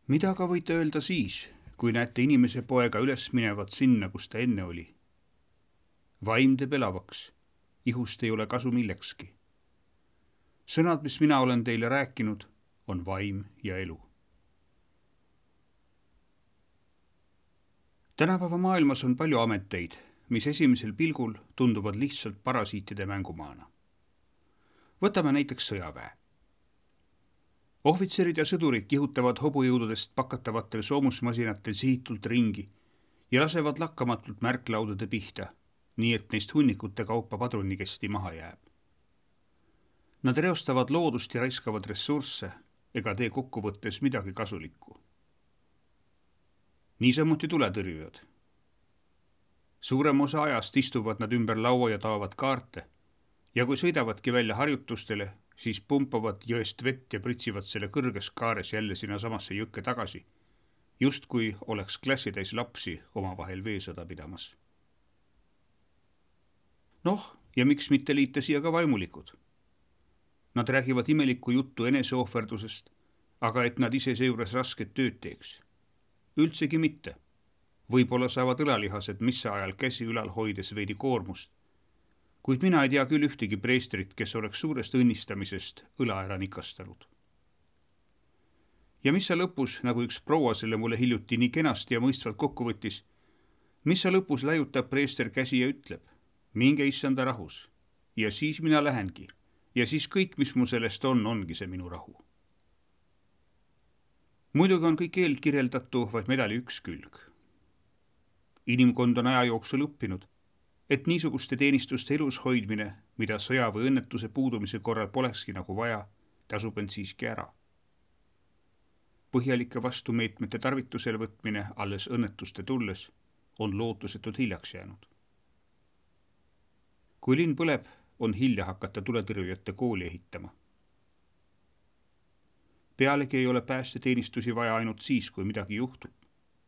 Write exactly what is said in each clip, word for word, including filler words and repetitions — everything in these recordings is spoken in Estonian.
Mida ka võite öelda siis, kui näete inimese poega üles minevat sinna, kus ta enne oli? Vaim teeb elavaks, ihust ei ole kasu millekski. Sõnad, mis mina olen teile rääkinud, on vaim ja elu. Tänapäeva maailmas on palju ameteid, mis esimesel pilgul tunduvad lihtsalt parasiitide mängumaana. Võtame näiteks sõjaväe. Ohvitserid ja sõdurid kihutavad hobujõududest pakatavatel soomusmasinatel sihitult ringi ja lasevad lakkamatult märklaudade pihta, nii et neist hunnikute kaupa padrunikesti maha jääb. Nad reostavad loodust ja raiskavad ressursse ega tee kokkuvõttes midagi kasulikku. Niisamuti tuletõrjujad. Suurem osa ajast istuvad nad ümber laua ja taovad kaarte ja kui sõidavadki välja harjutustele, siis pumpavad jõest vett ja pritsivad selle kõrges kaares jälle sinna samasse jõkke tagasi, just kui oleks klassitäis lapsi omavahel veesõda pidamas. Noh, ja miks mitte liita siia ka vaimulikud? Nad räägivad imelikku juttu eneseohverdusest, aga et nad ise seejuures rasket tööd teeks. Üldsegi mitte. Võib-olla saavad õlalihased missa ajal käsi ülal hoides veidi koormust, kuid mina ei tea küll ühtegi preestrit, kes oleks suurest õnnistamisest õla ära nikastanud. Ja mis sa lõpus, nagu üks proua selle mulle hiljuti nii kenasti ja mõistvalt kokku võttis, mis sa lõpus läjutab preester käsi ja ütleb, minge issanda rahus, ja siis mina lähengi, ja siis kõik, mis mu sellest on, ongi see minu rahu. Muidugi on kõik eelkirjeldatu vaid medali üks külg. Inimkond on aja jooksul õppinud, et niisuguste teenistuste elus hoidmine, mida sõja või õnnetuse puudumise korral polekski nagu vaja, tasub end siiski ära. Põhjalike vastumeetmete tarvitusele võtmine alles õnnetuste tulles on lootusetult hiljaks jäänud. Kui linn põleb, on hilja hakata tuletõrjujate kooli ehitama. Pealegi ei ole päästeteenistusi vaja ainult siis, kui midagi juhtub,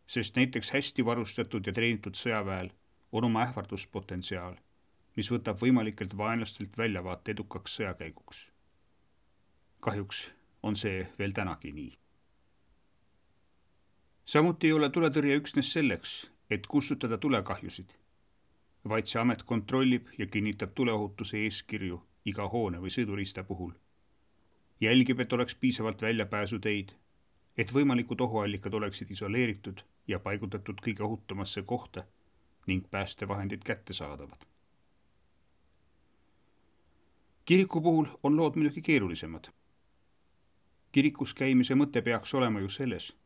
sest näiteks hästi varustatud ja treenitud sõjaväel on oma ähvarduspotentsiaal, mis võtab võimalikelt vaenlastelt väljavaate edukaks sõjakäiguks. Kahjuks on see veel tänagi nii. Samuti ei ole tuletõrje üksnes selleks, et kustutada tulekahjusid, vaid see amet kontrollib ja kinnitab tuleohutuse eeskirju iga hoone või sõiduriista puhul. Jälgib, et oleks piisavalt väljapääsuteid, et võimalikud ohuallikad oleksid isoleeritud ja paigutatud kõige ohutumasse kohta ning päästevahendid kätte saadavad. Kiriku puhul on lood muidugi keerulisemad. Kirikus käimise mõte peaks olema ju selles,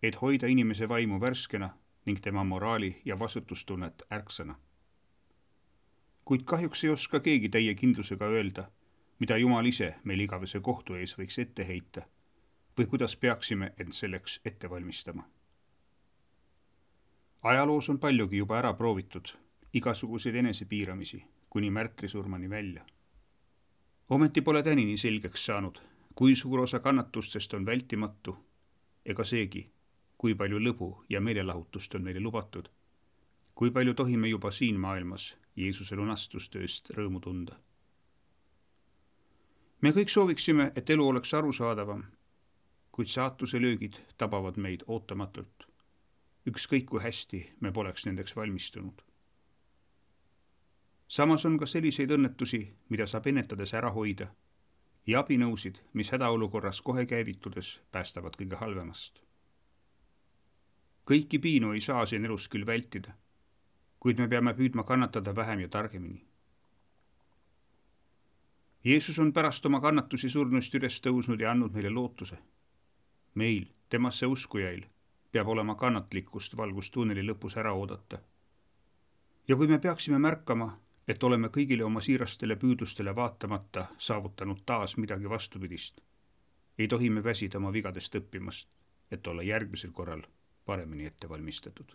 et hoida inimese vaimu värskena ning tema moraali ja vastutustunnet ärksana. Kuid kahjuks ei oska keegi täie kindlusega öelda, mida Jumal ise meil igavese kohtu ees võiks ette heita või kuidas peaksime end selleks ette valmistama. Ajaloos on paljugi juba ära proovitud, igasuguseid enesepiiramisi, kuni märtrisurmani välja. Ometi pole tänini selgeks saanud, kui suur osa kannatustest on vältimatu, ega seegi, kui palju lõbu ja meelelahutust on meile lubatud, kui palju tohime juba siin maailmas Jeesuse lunastustööst rõõmu tunda. Me kõik sooviksime, et elu oleks arusaadavam, kuid saatuse löögid tabavad meid ootamatult. Ükskõik kui hästi me poleks nendeks valmistunud. Samas on ka selliseid õnnetusi, mida saab ennetades ära hoida, ja abinõusid, mis hädaolukorras kohe käivitudes päästavad kõige halvemast. Kõiki piinu ei saa siin elus küll vältida, kuid me peame püüdma kannatada vähem ja targemini. Jeesus on pärast oma kannatusi surnust üles tõusnud ja andnud meile lootuse. Meil, temasse uskujail, peab olema kannatlikkust valgustunneli lõpus ära oodata. Ja kui me peaksime märkama, et oleme kõigile oma siirastele püüdlustele vaatamata saavutanud taas midagi vastupidist, ei tohi me väsida oma vigadest õppimast, et olla järgmisel korral paremini ette valmistatud.